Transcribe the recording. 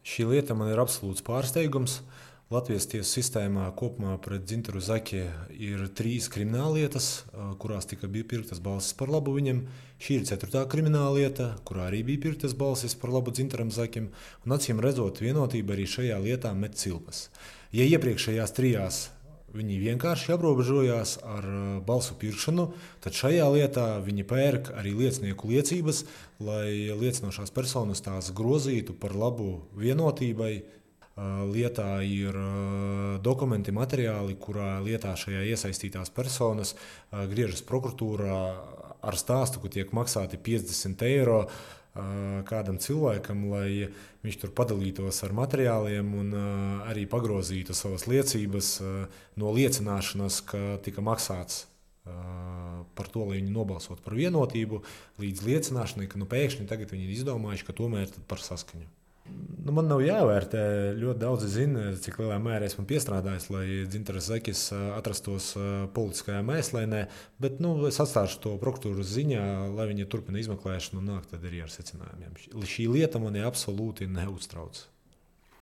Šī lieta man ir absolūts pārsteigums. Latvijas tiesu sistēmā kopumā pret Dzintaru Zaki ir 3 krimināllietas, kurās tika pirktas balsis par labu viņam. Šī ir 4. krimināllieta, kurā arī bija pirktas balsis par labu Dzintaram Zakim. Un acīm redzot, vienotība arī šajā lietā met cilpas. Ja iepriekšējās 3 viņi vienkārši aprobežojās ar balsu pirkšanu, tad šajā lietā viņi pērk arī liecinieku liecības, lai liecinošās personas tās grozītu par labu vienotībai. Lietā ir dokumenti, materiāli, kurā lietā šajā iesaistītās personas griežas prokuratūrā ar stāstu, ka tiek maksāti 50 eiro kādam cilvēkam, lai viņš tur padalītos ar materiāliem un arī pagrozītu savas liecības no liecināšanas, ka tika maksāts par to, lai viņi nobalsot par vienotību, līdz liecināšanai, ka pēkšņi tagad viņi ir izdomājuši, ka tomēr par saskaņu. Man nav jāvērtē. Ļoti daudzi zina, cik lielā mērā esmu piestrādājis, lai Dzintars Zakis atrastos politiskajā mēslēnē, bet es atstāšu to prokuratūras ziņā, lai viņi turpina izmeklēšanu un nāk tad arī ar secinājumiem. Šī lieta mani absolūti neuztrauc.